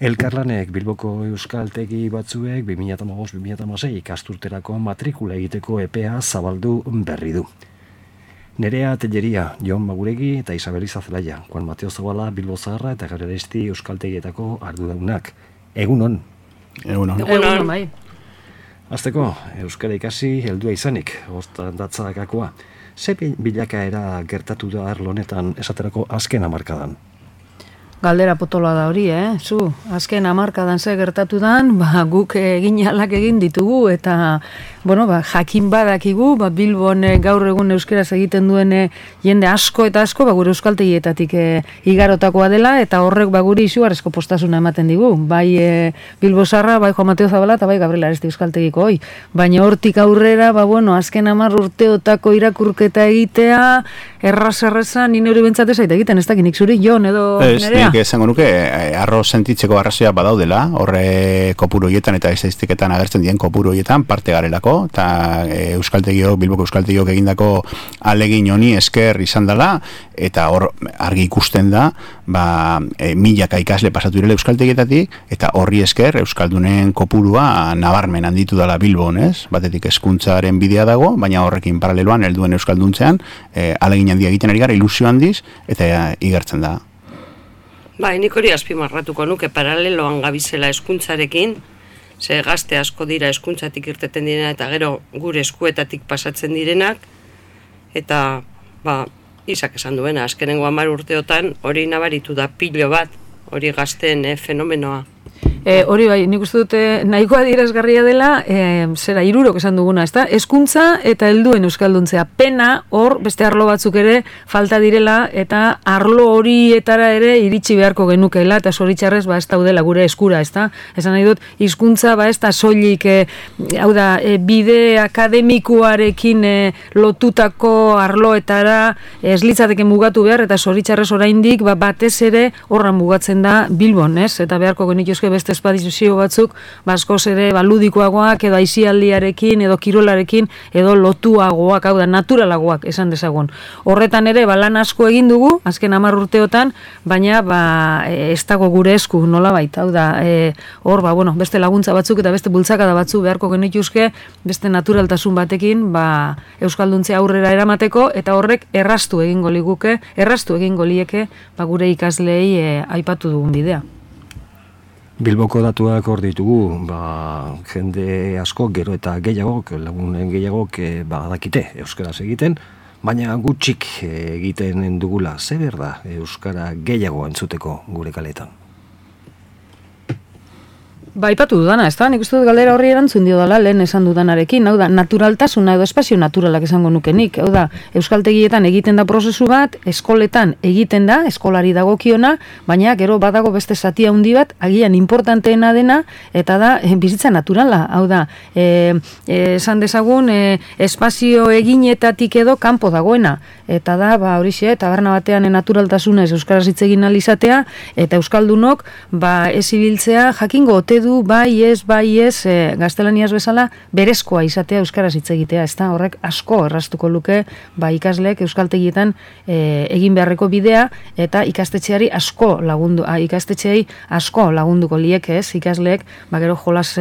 Elkarlanek Bilboko euskaltegi batzuek 2015-2016 ikasturterako matrikula egiteko epea zabaldu berri du. Nerea Telleria, Jon Maguregi eta Isabel Izazelaia, Juan Mateo Zabala, Bilbo Zaharra eta Gareresti euskaltegietako arduradunak. Egunon. Egunon, bai. Azteko, euskara ikasi heldua izanik, hortan datzakakoa. Ze bilakaera gertatu da arlo honetan esaterako azken hamarkadan? Galdera potoloa da hori, Zu, azken hamarkadan ze gertatu dan, guk eginalak egin ditugu, eta, jakin badakigu, Bilbon gaur egun euskeraz egiten duen jende asko eta asko, gure euskaltegietatik igarotakoa dela, eta horrek guri izugarrizko postasuna ematen digu. Bai Bilbo Zaharra, bai Juan Mateo Zabala, eta bai Gabriel Aresti euskaltegiko hoi. Baina hortik aurrera, azken 10 urteotako irakurketa egitea, erraz, ni neuri bentsatez aita egiten, ez dakinik zuri, Jon edo Nerea? Esango nuke, arro sentitzeko arrazoia badaudela, horre kopuru horietan eta estadistiketan agertzen dien kopuru horietan parte garelako, eta Bilboko euskaltegiok egindako alegin honi esker izan dela, eta hor argi ikusten da, milaka ikasle pasatu direla euskaltegietatik, eta horri esker euskaldunen kopurua nabarmen handitu dela Bilbon, ez? Batetik hezkuntzaren bidea dago, baina horrekin paraleloan helduen euskalduntzean, alegin handia egiten ari gara, ilusio handiz, eta igertzen da. Nik hori azpimarratuko nuke paraleloan gabizela hezkuntzarekin, ze gazte asko dira hezkuntzatik irteten direna eta gero gure eskuetatik pasatzen direnak, eta Isak esan duena, azkenengo 10 urteotan hori nabaritu da pilo bat, hori gazteen fenomenoa. Hori bai, nik uste dute nahikoa adierazgarria dela, 3 esan duguna, ezta? Hezkuntza eta helduen euskalduntzea. Pena hor beste arlo batzuk ere falta direla eta arlo horietara ere iritsi beharko genukeela eta zoritxarrez ez daudela gure eskura, ezta? Esan nahi dut, hizkuntza ez da soilik, bide akademikoarekin lotutako arloetara ez litzateke mugatu behar eta zoritxarrez oraindik batez ere horran mugatzen da Bilbon, ez? Eta beharko genituzke beste espadizio batzuk, askoz ere ludikoagoak edo aisialdiarekin edo kirolarekin edo lotuagoak, naturalagoak esan dezagun. Horretan ere lan asko egin dugu azken 10 urteotan, baina ez dago gure esku nolabait, hor beste laguntza batzuk eta beste bultzakada batzuk beharko genituzke beste naturaltasun batekin euskalduntzea aurrera eramateko, eta horrek erraztu egingo lieke gure ikaslei aipatu dugun bidea. Bilboko datuak hor ditugu, jende asko, gero eta gehiagok, lagunen gehiagok badakite euskaraz egiten, baina gutxik egiten dugula. Zer da euskara gehiago entzuteko gure kaletan? Aipatu dudana, ez da? Nik uste dut galdera horri erantzun dio dela lehen esan dudanarekin, naturaltasuna edo espazio naturalak esango nukenik, euskaltegietan egiten da prozesu bat, eskoletan egiten da, eskolari dagokiona, baina gero badago beste zati handi bat, agian importanteena dena, eta da bizitza naturala, esan dezagun, espazio eginetatik edo kanpo dagoena, eta da, horixe, taberna batean naturaltasunez euskaraz hitz egin ahal izatea, eta euskaldunok, ez ibiltzea jakingo ote du, bai ez, gaztelaniaz bezala, berezkoa izatea euskaraz hitz egitea, ez da, horrek asko erraztuko luke, ikasleek euskaltegietan egin beharreko bidea, eta ikastetxeari asko lagunduko lieke, ez, ikasleek, gero jolas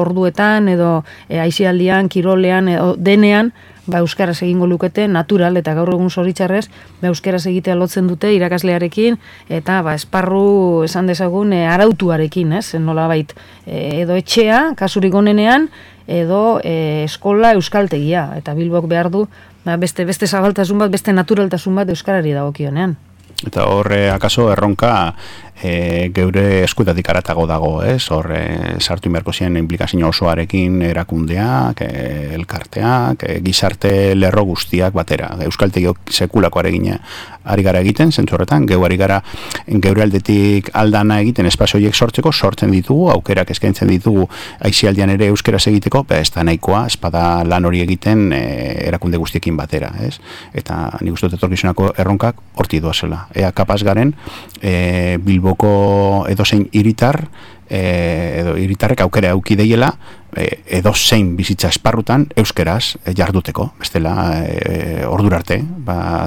orduetan, edo aisialdian, kirolean, edo denean, euskaraz egingo lukete, natural, eta gaur egun zoritxarrez, euskaraz egitea lotzen dute irakaslearekin, eta esparru esan dezagun arautuarekin, ez, nolabait, edo etxea, kasurik onenean, edo eskola euskaltegia, eta Bilbok behar du, beste zabaltasun bat, beste naturaltasun bat euskarari dagokionean. Eta horre, akaso, erronka geure eskuetatik aratago dago, ez? Horre, sartu inberko ziren implikazio osoarekin erakundeak, elkarteak, gizarte lerro guztiak batera. Euskaltegiok sekulako ari gara egiten, zentzu horretan, ari gara geure aldetik aldana egiten espazio horiek sortzen ditugu, aukerak eskaintzen ditugu aisialdian ere euskeraz egiteko, ez da nahikoa, espada lan hori egiten erakunde guztiekin batera, ez? Eta nik uste dut etorkizunako erronkak horti doazela. Ea kapaz garen, Bilboko edozein hiritar, edo hiritarrek aukera auki deiela, edozein bizitza esparrutan euskeraz jarduteko, bestela ordura arte,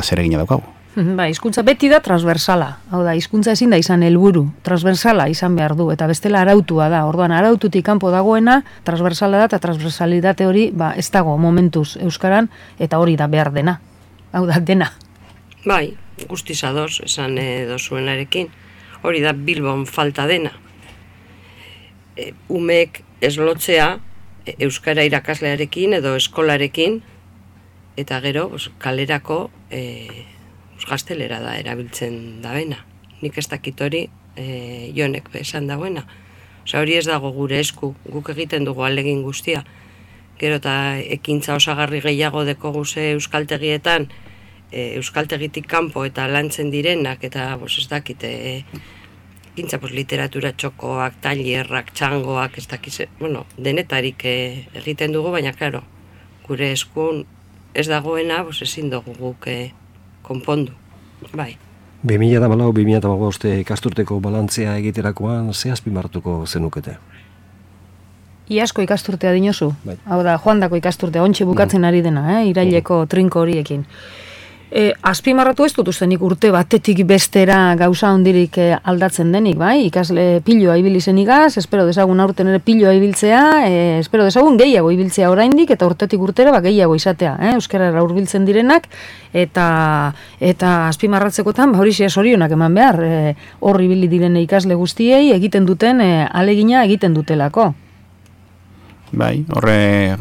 zer egina daukagu. Ba, hizkuntza beti da transversala. Hau da, hizkuntza ezin da izan helburu, transversala izan behar du, eta bestela arautua da. Orduan, araututik kanpo dagoena, transversala da, eta transversalitate hori, ez dago momentuz euskaran, eta hori da behar dena. Hau da, dena. Bai, guztiz ados, esan dozuenarekin. Hori da Bilbon falta dena. Umek ez lotzea euskara irakaslearekin edo eskolarekin, eta gero kalerako gaztelera da erabiltzen dabena. Nik ez dakit hori Jonek esan dagoena. Osa, hori ez dago gure esku, guk egiten dugu alegin guztia. Gero eta ekintza osagarri gehiago dekoguze euskaltegietan, euskaltegitik kanpo eta lantzen direnak, eta ez dakit, ekintza literatura txokoak, tailerrak, txangoak, ez dakit, denetarik egiten dugu, baina, klaro, gure eskun ez dagoena, ezin dugu guk konpondu, bai. 2014-2015 ikasturteko balantzea egiterakoan, ze azpimarratuko zenukete? Iazko ikasturtea dinozu. Bai. Hau da, joandako ikasturtea, ontxe bukatzen ari dena, iraileko trinko horiekin. Azpimarratu ez dut uste nik urte batetik bestera gauza hondirik aldatzen denik, bai? Ikasle piloa ibili zen igaz, espero dezagun aurten ere piloa ibiltzea, espero dezagun gehiago ibiltzea oraindik eta urtetik urtera gehiago izatea, euskarara hurbiltzen direnak, eta azpimarratzekotan, hori sorionak eman behar, hor ibili diren ikasle guztiei egiten duten alegina egiten dutelako. Bai, horre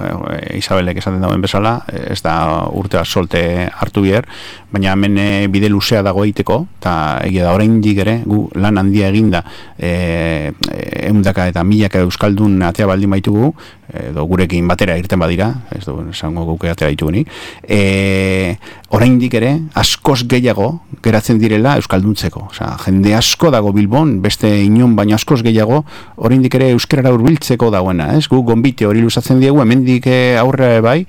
Isabelek esaten dagoen bezala, ez da urtea solte hartu bier, baina hemen bide luzea dago egiteko, eta egia da oraindik ere, gu lan handia eginda, ehundaka eta milaka euskaldun atea baldin baitugu, edo gurekin batera irten badira, ez du esango guke atera ditugunik, oraindik ere askoz gehiago geratzen direla euskalduntzeko. Osea, jende asko dago Bilbon, beste inon baina askoz gehiago oraindik ere euskarara hurbiltzeko dagoena, ez? Gu gonbite hori luzatzen diegu, hemendik aurre bai,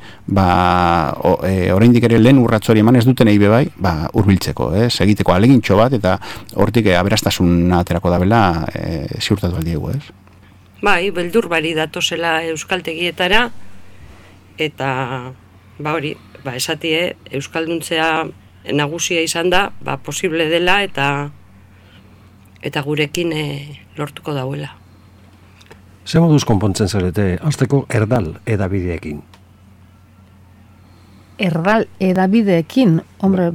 oraindik ere lehen urrats hori eman ez dutenei be bai, hurbiltzeko, ez? Egiteko alegintxo bat eta hortik aberastasuna aterako dabela ziurtatu aldiegu, ez? Bai, beldur bari datozela euskaltegietara, eta hori, esatie, euskalduntzea nagusia izan da, posible dela, eta gurekin lortuko dauela. Ze moduz konpontzen zarete, hasteko erdal edabideekin? Erdal edabideekin, hombre,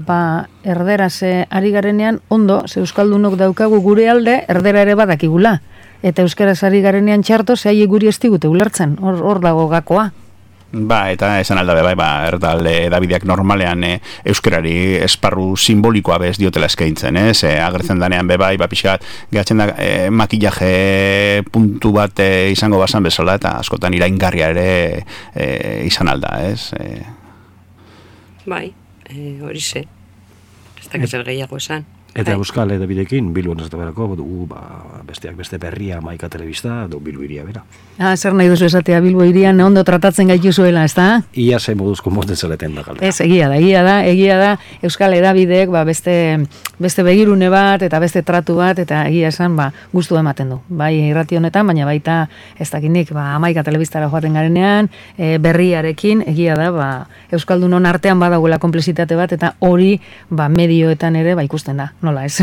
erderaz ari garenean, ondo, ze euskaldunok daukagu gure alde, erdera ere badakigula. Eta euskaraz ari garenean txarto, zehai guri ez digute ulertzen, hor dago gakoa. Eta esan aldabe, erdal edabideak normalean euskarari esparru simbolikoa bez diotela eskaintzen, agertzen danean bai, pixkat, gehatzen da makillaje puntu bat izango bazan bezala, eta askotan iraingarria ere izan alda, ez? Bai, hori ze, ez dakiz gehiago esan. Eta euskal edabideekin, Bilbon ez da berako, dugu besteak beste Berria, Maika Telebista, Bilbo iria bera. Zer nahi duzu esatea Bilbo irian ondo tratatzen gaitu zuela, ez da? Ia ze moduz konpontzen zareten da galdera. Ez, egia da, euskal edabideek beste begirune bat, eta beste tratu bat, eta egia esan gustu ematen du. Bai, irrati honetan, baina baita ez dakinik, Maika Telebistara joaten garenean, Berriarekin, egia da, euskaldunon artean badagoela komplezitate bat, eta hori medioetan ere ikusten da. Nola ez?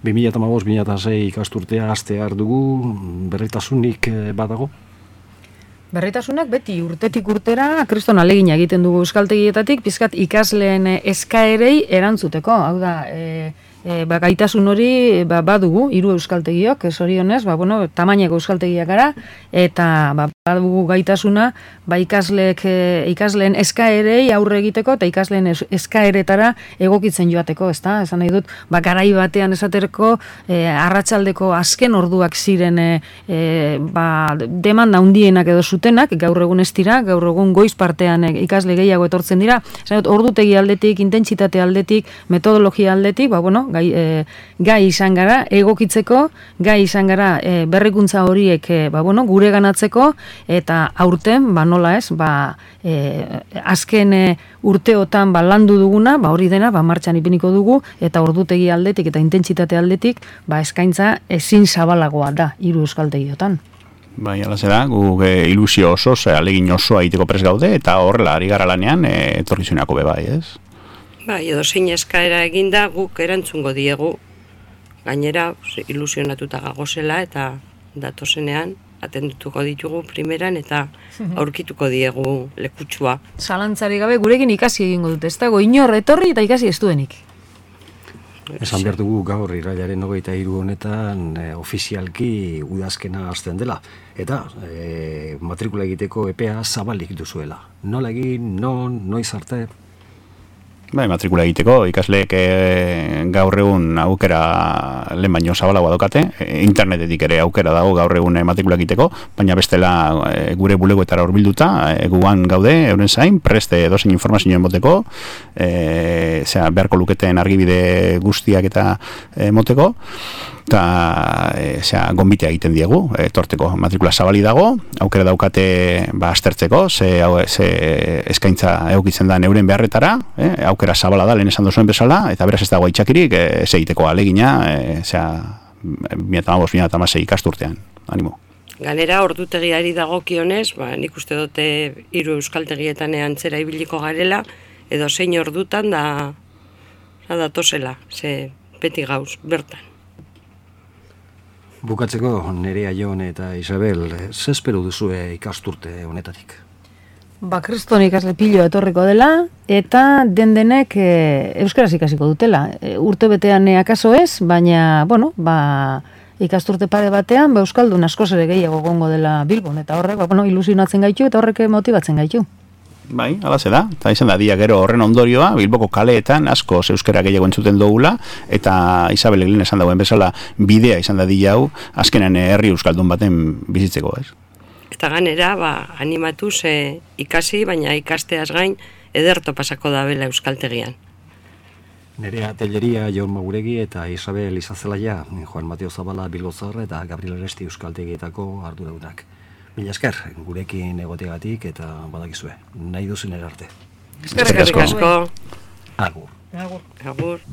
2015-2016 ikasturtea hastear dugu, berritasunik badago? Berritasunak beti urtetik urtera kriston alegina egiten dugu euskaltegietatik, pizkat ikasleen eskaerei erantzuteko. Hau da, gaitasun hori badugu, 3 euskaltegiok, zorionez, tamaineko euskaltegiak gara, eta badugu gaitasuna, ikasleen eskaerei aurre egiteko, eta ikasleen eskaeretara egokitzen joateko, ez da? Esan nahi dut, garai batean esaterko, arratsaldeko azken orduak ziren demanda handienak edo zutenak, gaur egun ez dira, gaur egun goiz partean ikasle gehiago etortzen dira, esan dut, ordutegi aldetik, intentsitate aldetik, metodologia aldetik, gai izan gara egokitzeko, gai izan gara berrikuntza horiek gure ganatzeko, eta aurten, nola ez, azken urteotan landu duguna, hori dena, martxan ipiniko dugu, eta ordutegi aldetik eta intentsitate aldetik, eskaintza ezin zabalagoa da, 3 euskaltegiotan. Bai, ala zera, guk ilusio oso, alegin osoa egiteko prest gaude, eta horrela ari gara lanean, etorkizuneko bebai, ez? Bai, edo zein eskaera eginda guk erantzungo diegu. Gainera, ilusionatuta gagozela eta datozenean atendutuko ditugu primeran eta aurkituko diegu lekutsua. Zalantzari gabe gurekin ikasi egingo dute, ez dago inor etorri eta ikasi ez duenik. Esan behar dugu gaur irailaren 23 honetan ofizialki udazkena hasten dela. Eta matrikula egiteko epea zabalik duzuela. Nola egin, noiz arte? Bai, matrikula egiteko, ikasleek gaur egun aukera lehen baino zabalagoa daukate, internetetik ere aukera dago gaur egun matrikula egiteko, baina bestela gure bulegoetara hurbilduta, guan gaude, euren zain, preste dozein informazioen moteko, beharko luketen argibide guztiak eta moteko, eta gonbitea egiten diegu, torteko matrikula zabali dago, aukera daukate aztertzeko, ze eskaintza eukitzen da euren beharretara, aukera zabala da, lehen esan duzuen bezala, eta beraz ez dago itxakirik, ez egiteko alegina, 2015-2016 ikasturtean, animo. Ganera, ordutegiari dagokionez, nik uste dute 3 euskaltegietan antzera ibiliko garela, edo zein ordutan da datozela, ze beti gauz, bertan. Bukatzeko, Nerea, Jon eta Isabel, ze espero duzue ikasturte honetatik? Kriston ikasle piloa etorriko dela, eta denek euskaraz ikasiko dutela. Urte betean akaso ez, baina, ikasturte pare batean, euskaldun askoz ere gehiago gongo dela Bilbon, eta horrek, ilusionatzen gaitu, eta horrek motibatzen gaitu. Bai, alaze da, eta izan da, dia gero horren ondorioa, Bilboko kaleetan asko euskara gehiago entzuten dugula, eta Isabel Eglin esan dagoen bezala bidea izan da dia hau, azkenan herri euskaldun baten bizitzeko, ez? Eta ganera, animatuz ikasi, baina ikasteaz gain ederto pasako da bela euskaltegian. Nerea Telleria, Jon Maguregi eta Isabel Izazelaia, Juan Mateo Zabala Bilbozar eta Gabriel Aresti euskaltegietako arduradunak. Mila esker, gurekin egoteagatik eta badakizue, nahi duzun erarte. Eskerrik asko. Agur. Agur.